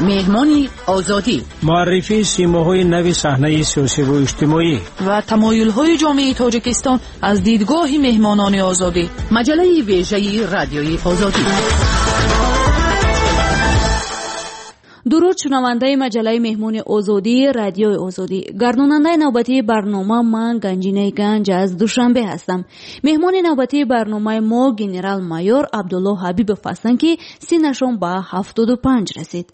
Меҳмони Озодӣ. Муаррифии симоҳои нави саҳнаи сиёсиву иҷтимоӣ ва тамоюлҳои ҷомеаи Тоҷикистон аз дидгоҳи меҳмонони Озодӣ. Маҷаллаи вежаи Радиои Озодӣ. Дуруд, шунавандаи маҷаллаи Меҳмони Озодии Радиои Озодӣ. Гардонандаи навбатии барнома ман, Ганҷинаи Ганҷ, аз Душанбе ҳастам. Меҳмони навбатии барномаи мо генерал-майор Абдулло Ҳабибов ҳастанд, ки синнашон ба 75 расид.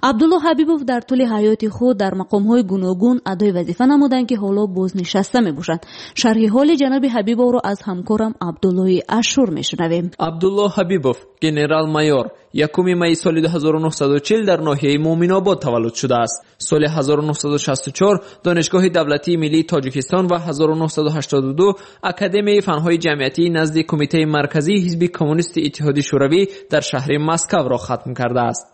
Абдулло Ҳабибов дар тӯли ҳаёти худ дар мақомҳои гуногун адои вазифа намуданд, ки ҳоло бознишаста мебошанд. Шарҳи ҳоли ҷаноби Ҳабибовро аз ҳамкорам Абдуллои Ашур мешунавем. Абдулло Ҳабибов, генерал-майор, 1 майи соли 1940 дар ноҳияи Муъминобод таваллуд шудааст. Соли 1964 Донишгоҳи давлатии миллии Тоҷикистон ва 1982 Академияи фанҳои ҷамъиятии назди Кумитаи марказии Ҳизби Коммунисти Иттиҳоди Шӯравӣ дар шаҳри Москваро хатм кардааст.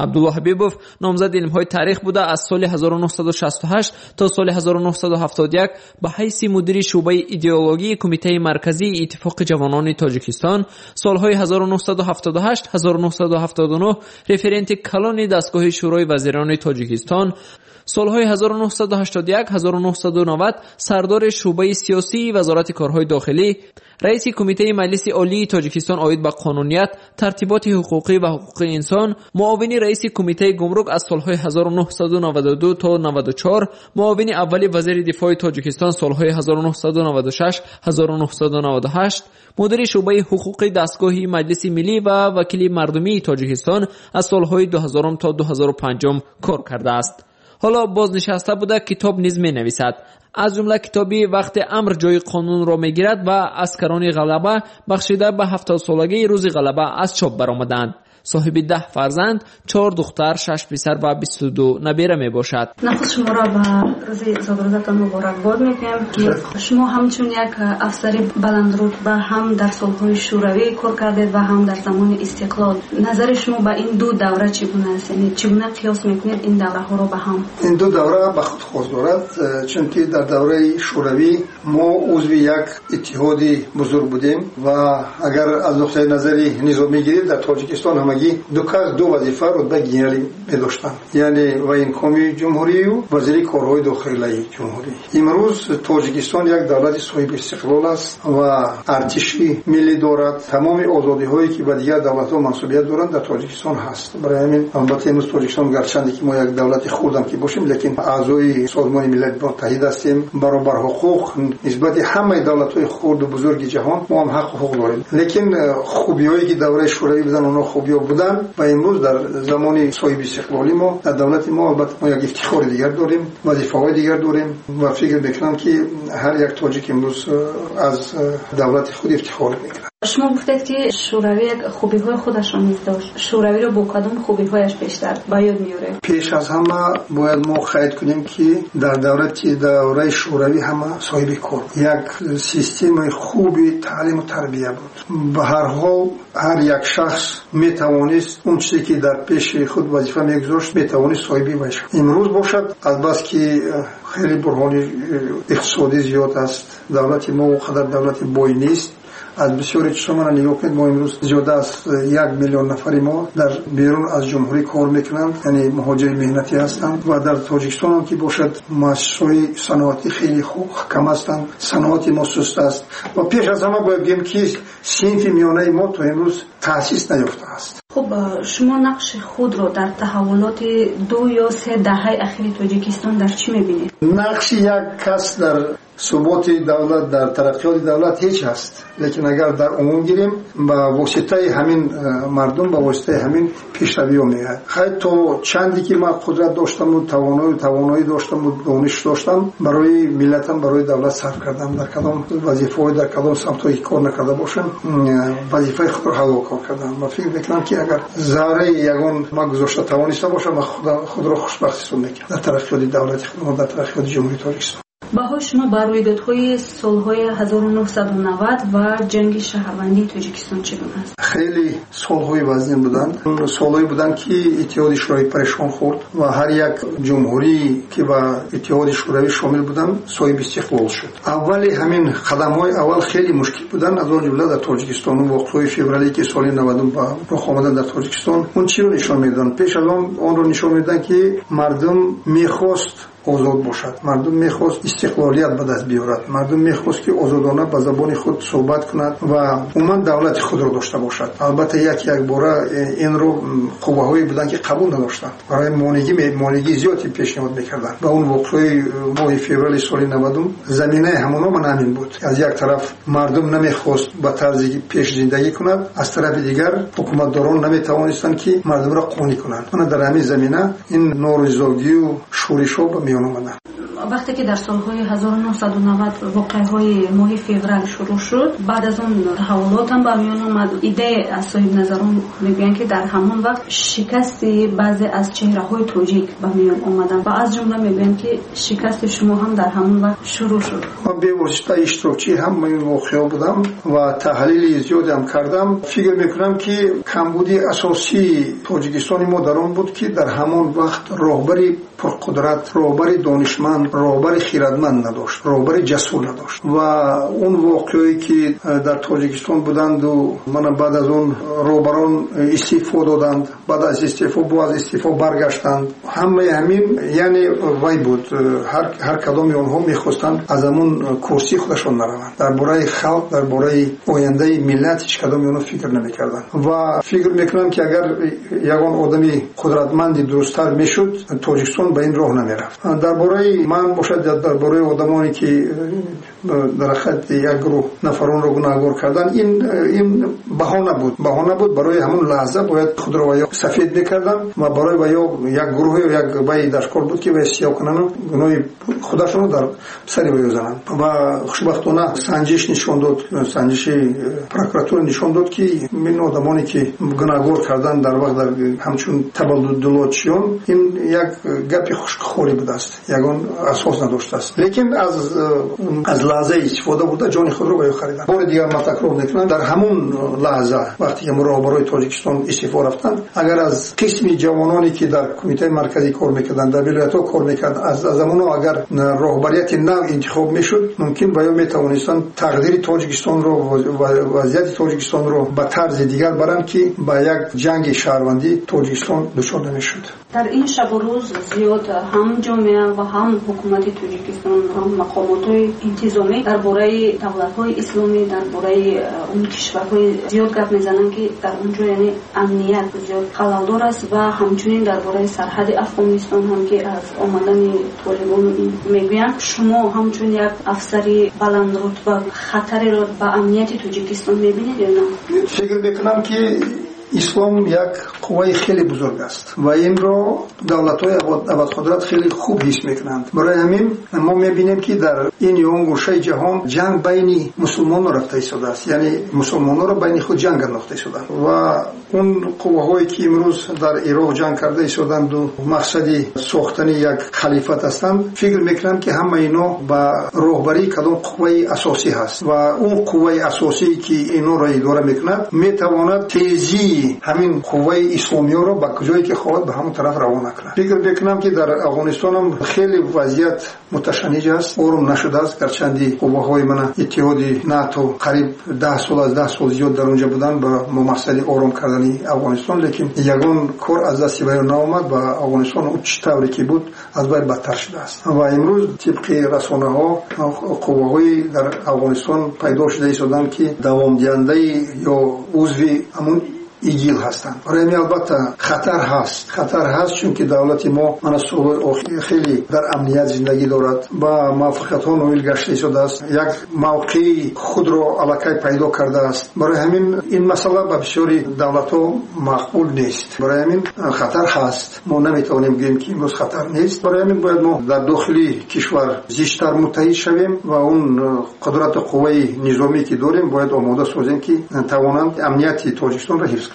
Абдулло Ҳабибов номзади илмҳои таърих буда, аз соли 1968 то соли 1971 ба ҳайси мудири шӯъбаи идеологии Кумитаи марказии Иттифоқи ҷавонони Тоҷикистон, солҳои 1978-1979 референти калони дастгоҳи Шӯрои вазирони Тоҷикистон, солҳои 1981-1990 сардори шӯъбаи сиёсии Вазорати корҳои дохилӣ, раиси Кумитаи Маҷлиси Олии Тоҷикистон оид ба қонуният, тартиботи ҳуқуқӣ ва ҳуқуқи инсон, муовини раиси Кумитаи гумрук аз солҳои 1992 то 94, муовини аввали вазири дифои Тоҷикистон солҳои 1996-1998, мудири шӯъбаи ҳуқуқи дастгоҳи Маҷлиси миллӣ ва вакили мардумии Тоҷикистон аз солҳои 2000 то 2005 кор кардааст. Ҳоло бознишаста буда, китоб низ менависад. Аз ҷумла китоби «Вақте амр ҷои қонунро мегирад» ва «Аскарони ғалаба» бахшида ба 70-солагии рӯзи ғалаба аз чоп баромаданд. Соҳиби 10 фарзанд, 4 духтар, 6 писар ва 22 набера мебошад. Нахуст шуморо ба рӯзи зодрӯзатон муборакбод мегӯям, ки шумо ҳамчун як афсари баландрутба ҳам дар солҳои шӯравӣ кор кардед ва ҳам дар замони истиқлол. Назари шумо ба ин ду давра чӣ гуна аст? Яъне чӣ гуна қиёс мекунед ин давраҳоро ба ҳам? Ин ду давра ба худ хос дорад, чунки дар давраи шӯравӣ мо узви як иттиҳоди бузург будем ва агар аз нуқтаи назари низомӣ гирем, дар Тоҷикистон ҳамагӣ ду кас ду вазифа рутбаи генералӣ медоштанд, яъне военкоми ҷумҳурию вазири корҳои дохилаи ҷумҳурӣ. Имрӯз Тоҷикистон як давлати соҳиби истиқлол аст ва артиши миллӣ дорад. Тамоми озодиҳое ки ба дигар давлатҳо мансубият доранд, дар Тоҷикистон ҳаст. Барои ҳамин, албатта, имрӯз Тоҷикистон, гарчанде ки мо як давлати хурдам ки бошем, лекин аъзои Созмони Милали Муттаҳид ҳастем. Баробар ҳуқуқ нисбати ҳамаи давлатҳои хурду бузурги ҷаҳон мо ҳам ҳаққу ҳуқуқ дорем. Лекин хубиҳое ки давраи шӯравӣ буданд, онҳо хубиҳо буданд ва имрӯз дар замони соҳиби истиқлолӣ мо дар давлати мо, албатта, мо як ифтихори дигар дорем, вазифаҳои дигар дорем ва фикр мекунам, ки ҳар як тоҷик имрӯз аз давлати худ ифтихор мекунад. Шумо гуфтед, ки шӯравӣ як хубиҳои худашро низ дошт. Шӯравиро бо кадом хубиҳояш бештар ба ёд меоред? Пеш аз ҳама бояд мо қайд кунем, ки дар давраи шӯравӣ ҳама соҳиби кор, як системаи хуби таълиму тарбия буд. Ба ҳар ҳол, ҳар як шахс метавонист он чизе ки дар пеши худ вазифа мегузошт, метавонист соҳиби вай шавад. Имрӯз бошад, азбаски хеле буҳрони иқтисодӣ зиёд аст, давлати мо он қадар давлати бой нест. Аз бисёри чизҳо мана нигоҳ кунед, мо имрӯз зиёда аз 1 миллион нафари мо дар берун аз ҷумҳурӣ кор мекунанд, яъне муҳоҷири меҳнатӣ ҳастанд. Ва дар Тоҷикистон ҳам ки бошад, муассисаҳои саноатӣ хеле хуб кам ҳастанд, саноати мо суст аст. Ва пеш аз ҳама бояд гӯем, ки синфи миёнаи мо то имрӯз таъсис наёфтааст. Хуб, шумо нақши худро дар таҳаввулоти ду ё се даҳаи ахири Тоҷикистон дар чӣ мебинед? Нақши як кас дар суботи давлат, дар тараққиёти давлат ҳеҷ ҳаст, лекин агар дар умум гирем, ба воситаи ҳамин мардум, ба воситаи ҳамин пешравиҳо меояд. Хай, то чанде ки ман қудрат доштаму тавоноӣ доштаму дониш доштам, барои миллатам, барои давлат сарф кардам. Дар кадом вазифаҳо, дар кадом самтҳое ки кор накарда бошам, вазифаи худро ҳалол кор кардам ва фикр мекунам, ки агар зарраи ягон ман гузошта тавониста бошам, ман худро хушбахт ҳисоб мекунам дар тараққиёти давлати худмо, дар тараққиёти Ҷумҳурии Тоҷикистон. Баҳои шумо ба рӯйдодҳои солҳои 1990 ва ҷанги шаҳрвандии Тоҷикистон чӣ гуна аст? Хеле солҳои вазнин буданд. Солҳое буданд, ки Иттиҳоди Шӯравӣ парешон хӯрд ва ҳар як ҷумҳурӣ, ки ба Иттиҳоди Шӯравӣ шомил буданд, соҳиби истиқлол шуд. Аввали ҳамин қадамҳои аввал хеле мушкил буданд, аз он ҷумла дар Тоҷикистон. Он воқеаҳои феврале, ки соли 90 ба рух омаданд дар Тоҷикистон, он чиро нишон медоданд? Пеш аз он онро нишон медоданд, ки мардум мехост озод бошад, мардум мехост истиқлолият ба даст биёрад, мардум мехост, ки озодона ба забони худ суҳбат кунад ва умуман давлати худро дошта бошад. Албатта, як якбора инро қувваҳое буданд, ки қабул надоштанд, барои монеъгии зиёде пешниҳод мекарданд. Ва он воқеаи моҳи феврали соли 90 заминаи ҳамоно ман ҳамин буд. Аз як тараф мардум намехост ба тарзи пеш зиндагӣ кунад, аз тарафи дигар ҳукуматдорон наметавонистанд, ки мардумро қонеъ кунанд. Мана дар ҳамин замина ин норизогию шӯришҳо ба миён омаданд. Вақте ки дар солҳои 1990 воқеаҳои моҳи феврал шурӯъ шуд, баъд аз он таҳаввулот ҳам ба миён омад. Иддае аз соҳибназарон мегӯянд, ки дар ҳамон вақт шикасти баъзе аз чеҳраҳои тоҷик ба миён омаданд ва аз ҷумла мегӯянд, ки шикасти шумо ҳам дар ҳамон вақт шурӯъ шуд. Ман бевосита иштирокчии ҳамаи ин воқеаҳо будам ва таҳлили зиёдеам кардам. Фикр мекунам, ки камбуди асосии Тоҷикистони мо дар он буд, ки дар ҳамон вақт роҳбари пурқудрат, роҳбари донишманд, роҳбари хирадманд надошт, роҳбари ҷасур надошт. Ва он воқеое, ки дар Тоҷикистон буданду мана баъд аз он роҳбарон истеъфо доданд, баъд аз истеъфо боз аз истеъфо баргаштанд, ҳамаи ҳамин яъне вай буд. Ҳар кадоми онҳо мехостанд аз ҳамон курсии худашон нараванд. Дар бораи халқ, дар бораи ояндаи миллат ҳеҷ кадоми онҳо фикр намекарданд. Ва фикр мекунам, ки агар ягон одами қудратманди дурусттар мешуд, Тоҷикистон ба ин роҳ намерафт. Дар бораи ман бошад, дар бораи одамоне, ки дар ҳақиқат як гурӯҳ нафаронро гунаҳгор кардан, ин баҳона буд. Баҳона буд барои ҳамон лаҳза бояд худро ва ё сафед мекарданд ва барои ва ё як гурӯҳе як вай дар кор буд, ки вай сиёҳ кунанд, гуноҳи худашонро дар сари вай зананд. Ва хушбахтона санҷиш нишон дод, санҷиши прокуратура нишон дод, ки ин одамоне, ки гунаҳгор кардан дар вақт дар ҳамчун табаддулотчиён, ин як гапи хушкхорӣ будааст, ягон асос надоштааст. Лекин аз лаҳзаи истифода бурда ҷони худро ба ё хариданд. Бори дигар ман такрор мекунам, дар ҳамон лаҳза вақте ки роҳбарои Тоҷикистон истеъфо рафтанд, агар аз қисми ҷавононе, ки дар Кумитаи марказӣ кор мекарданд, дар вилоятҳо кор мекарданд, аз ҳамонҳо агар роҳбарияти нав интихоб мешуд, мумкин ба ё метавонистанд тақдири Тоҷикистонро, вазъияти Тоҷикистонро ба тарзи дигар баранд, ки ба як ҷанги шаҳрвандӣ Тоҷикистон дучор намешуд. Дар ин шабу рӯз зиёд ҳам ҷомеа ва ҳам ҳукумати Тоҷикистон, ҳам мақомотҳои интизомӣ дар бораи давлатҳои исломӣ, дар бораи он кишварҳои зиёд гап мезананд, ки дар он ҷо яъне амният зиёд халалдор аст ва ҳамчунин дар бораи сарҳади Афғонистон ҳам, ки аз омадани толибон мегӯянд. Шумо ҳамчун як афсари баландрутба хатареро ба амнияти Тоҷикистон мебинед ё на? Фикр мекунам, ки ислом як қувваи хеле бузург аст ва инро давлатҳои абадқудрат хеле хуб ҳис мекунанд. Барои ҳамин мо мебинем, ки дар ин ё он гӯшаи ҷаҳон ҷанг байни мусулмонро рафта истодааст, яъне мусулмонҳоро байни худ ҷанг андохта истоданд. Ва он қувваҳое, ки имрӯз дар Ироқ ҷанг карда истоданду мақсади сохтани як халифат ҳастанд, фикр мекунам, ки ҳама ино ба роҳбарии кадом қувваи асосӣ ҳаст ва он қувваи асосие, ки инҳоро идора мекунад, метавонад тезии ҳамин қувваи исломиёро ба куҷое ки хоҳад, ба ҳамон тараф равона кунад. Фикр мекунам, ки дар Афғонистонам хеле вазъият муташанниҷ аст, ором нашудааст. Гарчанди қувваҳои мана иттиҳоди НАТО қариб 10 сол, аз 10 сол зиёд дар онҷа буданд ба мақсади ором кардани Афғонистон, лекин ягон кор аз дасти вайо наомад ва Афғонистон он чӣ тавре ки буд, аз вай бадтар шудааст. Ва имрӯз тибқи расонаҳо қувваҳои дар Афғонистон пайдо шуда истоданд, ки давомдиҳандаи ё узви ҳамун ИГИЛ ҳастанд. Барои ҳамин албатта хатар ҳаст, хатар ҳаст, чунки давлати мо мана солҳои охир хеле дар амният зиндагӣ дорад, ба муваффақиятҳо ноил гашта истодааст, як мавқеи худро аллакай пайдо кардааст. Барои ҳамин ин масъала ба бисёри давлатҳо маъқул нест. Барои ҳамин хатар ҳаст, мо наметавонем гӯем, ки имрӯз хатар нест. Барои ҳамин бояд мо дар дохили кишвар зичтар муттаҳид шавем ва он қудрату қувваи низомӣ, ки дорем, бояд омода созем, ки тавонанд амнияти Тоҷикистонро ҳифз кунанд.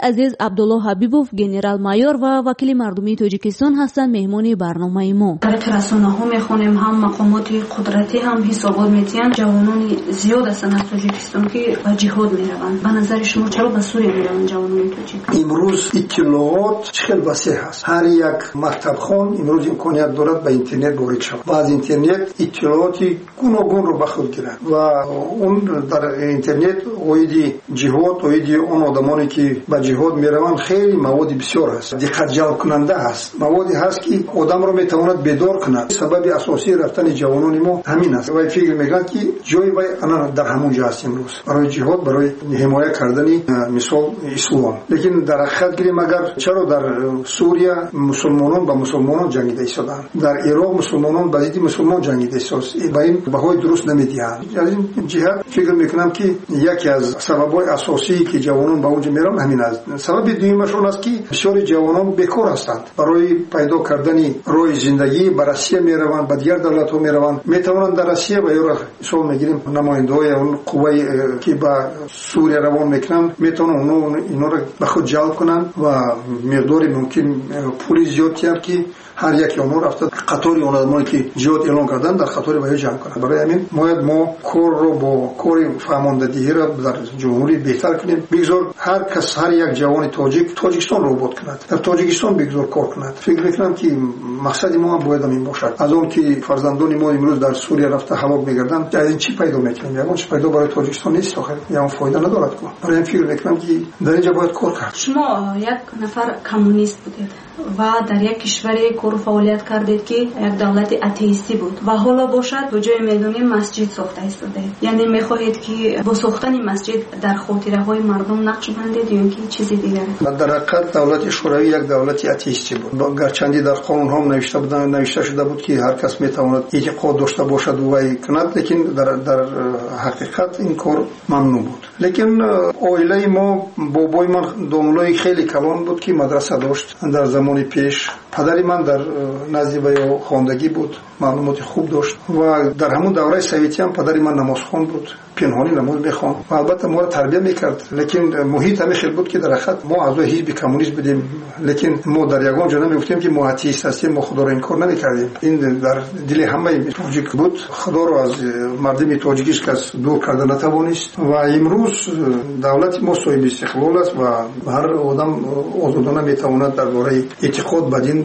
Азиз, Абдулло Ҳабибов, генерал-майор ва вакили мардумии Тоҷикистон ҳастанд меҳмони барномаи мо. Тариқи расонаҳо мехонем, ҳам мақомоти қудратӣ ҳам ҳисобот метиҳанд, ҷавонони зиёд ҳастанд аз Тоҷикистон, ки ба ҷиҳод мераванд. Ба назари шумо чаро ба Сурия мераванд ҷавонони тоҷик? Имрӯз иттилоот чӣ хел васеъ ҳаст. Ҳар як мактабхон имрӯз имконият дорад ба интернет ворид шавад ва аз интернет иттилооти гуногунро ба худ гирад ва он дар интернет оиди ҷиҳод, оиди он одамоне ки ба ҷиҳод мераванд, хеле маводи бисёр ҳаст, диққатҷалбкунанда ҳаст, маводе ҳаст, ки одамро метавонад бедор кунад. Сабаби асосии рафтани ҷавонони мо ҳамин аст. Вай фикр мекунад, ки ҷои вай ана дар ҳамон ҷо аст имрӯз барои ҷиҳод, барои ҳимоя кардани, мисол, ислом. Лекин дар ҳақиқат гирем агар, чаро дар Сурия мусулмонон ба мусулмонон ҷангида истодаанд, дар Ироқ мусулмонон ба зидди мусулмон ҷангида истодаанд, ба ин баҳои дуруст намедиҳанд. Аз ин ҷиҳат фикр мекунам, ки яке аз сабабҳои асосие, ки ҷавонон ба он ҷо мераванд, ҳамин аст. Сабаби дуюмаш он аст, ки бисёри ҷавонон бекор ҳастанд. Барои пайдо кардани роҳи зиндагӣ ба Россия мераванд, ба дигар давлатҳо мераванд. Метавонанд дар Россия ва ёро мисол мегирем, намояндаҳои он қуввае, ки ба Сурия равон мекунанд, метавонанд онҳо инҳоро ба худ ҷалб кунанд ва миқдори мумкин пули зиёд диҳанд, ки ҳар яке онҳо рафта қатори он одамоне, ки ҷиҳод эълон карданд, дар қатори ваё ҷамъ кунанд. Барои ҳамин бояд мо корро бо кори фаҳмондадиҳиро дар ҷумҳурӣ беҳтар кунем. Бигзор ҳар кас, ҳар як ҷавони тоҷик Тоҷикистонро обод кунад, дар Тоҷикистон бигзор кор кунад. Фикр мекунам, ки мақсади мо ҳам бояд ҳамин бошад. Аз он ки фарзандони мо имрӯз дар Сурия рафта ҳалок мегарданд, аз ин чӣ пайдо мекунем? Ягон чӣ пайдо барои Тоҷикистон нест, охир ягон фоида надорад ку. Барои ҳамин фикр мекунам, ки дар инҷа бояд кор кард. Шумо як нафар коммунист будед ва дар як кишваре кору фаъолият кардед, ки як давлати атеистӣ буд, ва ҳоло бошад, то ҷое медонем, масҷид сохта истодаед. Яъне мехоҳед, ки бо сохтани масҷид дар хотираҳои мардум нақш бандед ё ин ки чизи дигар? Дар ҳақиқат давлати Шӯравӣ як давлати атеистӣ буд. Гарчанде дар қонунҳо навишта шуда буд, ки ҳар кас метавонад эътиқод дошта бошад вай кунад, лекин дар ҳақиқат ин кор мамнӯъ буд. Лекин оилаи мо, бобои ман домлои хеле калон буд, ки мадраса дошт дар замони пеш. Падари ман дар назди ваё хондагӣ буд, маълумоти хуб дошт ва дар ҳамон давраи советӣ ҳам падари ман намозхон буд, пинҳонӣ намоз мехонд ва албатта моро тарбия мекард. Лекин муҳит ҳамин хел буд, ки дар ҳақиқат мо аъзои ҳизби коммунист будем, лекин мо дар ягон ҷо намегуфтем, ки мо атеист ҳастем, мо худоро инкор намекардем. Ин дар дили ҳамаи тоҷик буд. Худоро аз мардуми тоҷик ҳеҷ кас дур карда натавонист ва имрӯз давлати мо соҳиби истиқлол аст ва ҳар одам озодона метавонад дар бораи эътиқод ба дин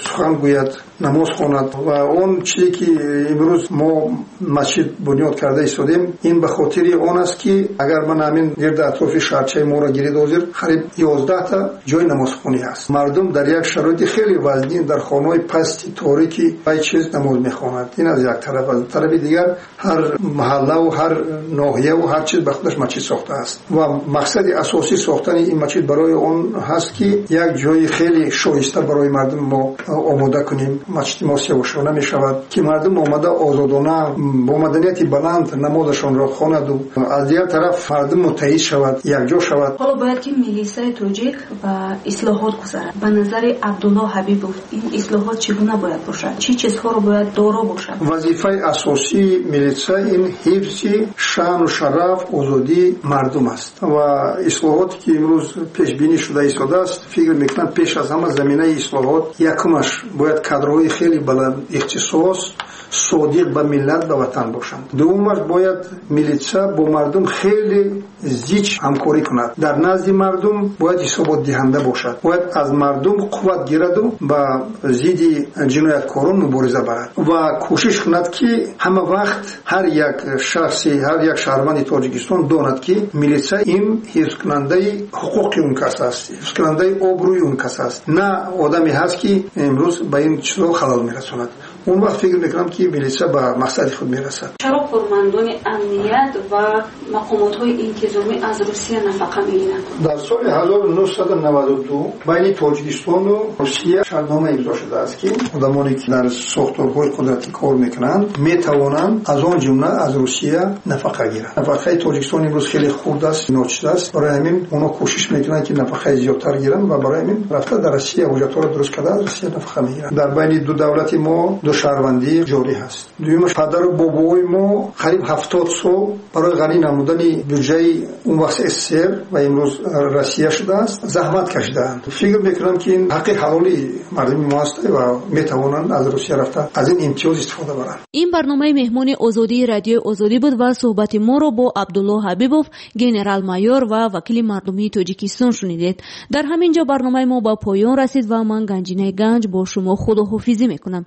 сухан гӯяд, намоз хонад. Ва он чизе, ки имрӯз мо масҷид бунёд карда истодем, ин ба хотири он аст, ки агар ман ҳамин гирди атрофи шаҳрчаи моро гиред, ҳозир қариб 11та ҷои намозхонӣ ҳаст. Мардум дар як шароити хеле вазнин, дар хонаҳои пасти торики вай чиз намоз мехонад. Ин аз як тараф. Аз тарафи дигар, ҳар маҳаллаву ҳар ноҳияву ҳар чиз ба худаш масҷид сохтааст ва мақсади асосии сохтани ин масҷид барои он ҳаст, ки як ҷои хеле шоиста барои мардум мо омода кунем. Масҷиди мо севошона мешавад, ки мардум омада озодона бо маданияти баланд намозашонро хонаду аз дигар тараф мардум муттаҳид шавад, якҷо шавад. Ҳоло бояд, ки милисаи тоҷик ба ислоҳот гузарад. Ба назари Абдулло Ҳабибов, ин ислоҳот чӣ гуна бояд бошад? Чӣ чизҳоро бояд доро бошад? Вазифаи асосии милиса ин ҳифзи шаъну шараф, озодии мардум аст ва ислоҳоте, ки имрӯз пешбинӣ шуда истодааст, фикр мекунам, пеш аз ҳама заминаи ислоҳот якумаш бояд кадрҳои хеле баланд ихтисос, содиқ ба миллат, ба ватан бошанд. Дуввумаш, бояд милитса бо мардум хеле зич ҳамкорӣ кунад, дар назди мардум бояд ҳисоботдиҳанда бошад, бояд аз мардум қувват гираду ба зидди ҷинояткорон мубориза барад ва кӯшиш кунад, ки ҳама вақт ҳар як шахси, ҳар як шаҳрванди Тоҷикистон донад, ки милитса ин ҳифзкунандаи ҳуқуқи он кас аст, ҳифзкунандаи обрӯи он кас аст, на одаме ҳаст, ки имрӯз ба ин чизҳо халал мерасонад. Он вақт фикр мекунам, ки милитса ба мақсади худ мерасад. Чаро кормандони амният ва мақомотҳои интизомӣ аз Русия нафақа мегиранд? Дар соли 1992 байни Тоҷикистону Русия шартнома имзо шудааст, ки одамоне, ки дар сохторҳои қудратӣ кор мекунанд, метавонанд аз он ҷумла аз Русия нафақа гиранд. Нафақаи Тоҷикистон имрӯз хеле хурд аст, ночиз аст. Барои ҳамин онҳо кӯшиш мекунанд, ки нафақаи зиёдтар гиранд ва барои ҳамин рафта дар Россия ҳуҷҷатҳоро дуруст карда, аз Россия нафақа мегиранд. Дар байни ду давлати мо Душаҳрвандӣ ҷорӣ ҳаст. Дуюмаш, падару бобои мо қариб 70 сол барои ғанӣ намудани бюджаи он вақт СССР ва имрӯз Россия шудааст, заҳмат кашидаанд. Фикр мекунам, ки ин ҳаққи ҳалоли мардуми мо аст ва метавонанд аз Русия рафта аз ин имтиёз истифода баранд. Ин барномаи меҳмони озодии Радиои Озодӣ буд ва суҳбати моро бо Абдулло Ҳабибов, генерал-майор ва вакили мардумии Тоҷикистон шунидед. Дар ҳамин ҷо барномаи мо ба поён расид ва ман, Ганҷинаи Ганҷ, бо шумо худоҳофизӣ мекунам.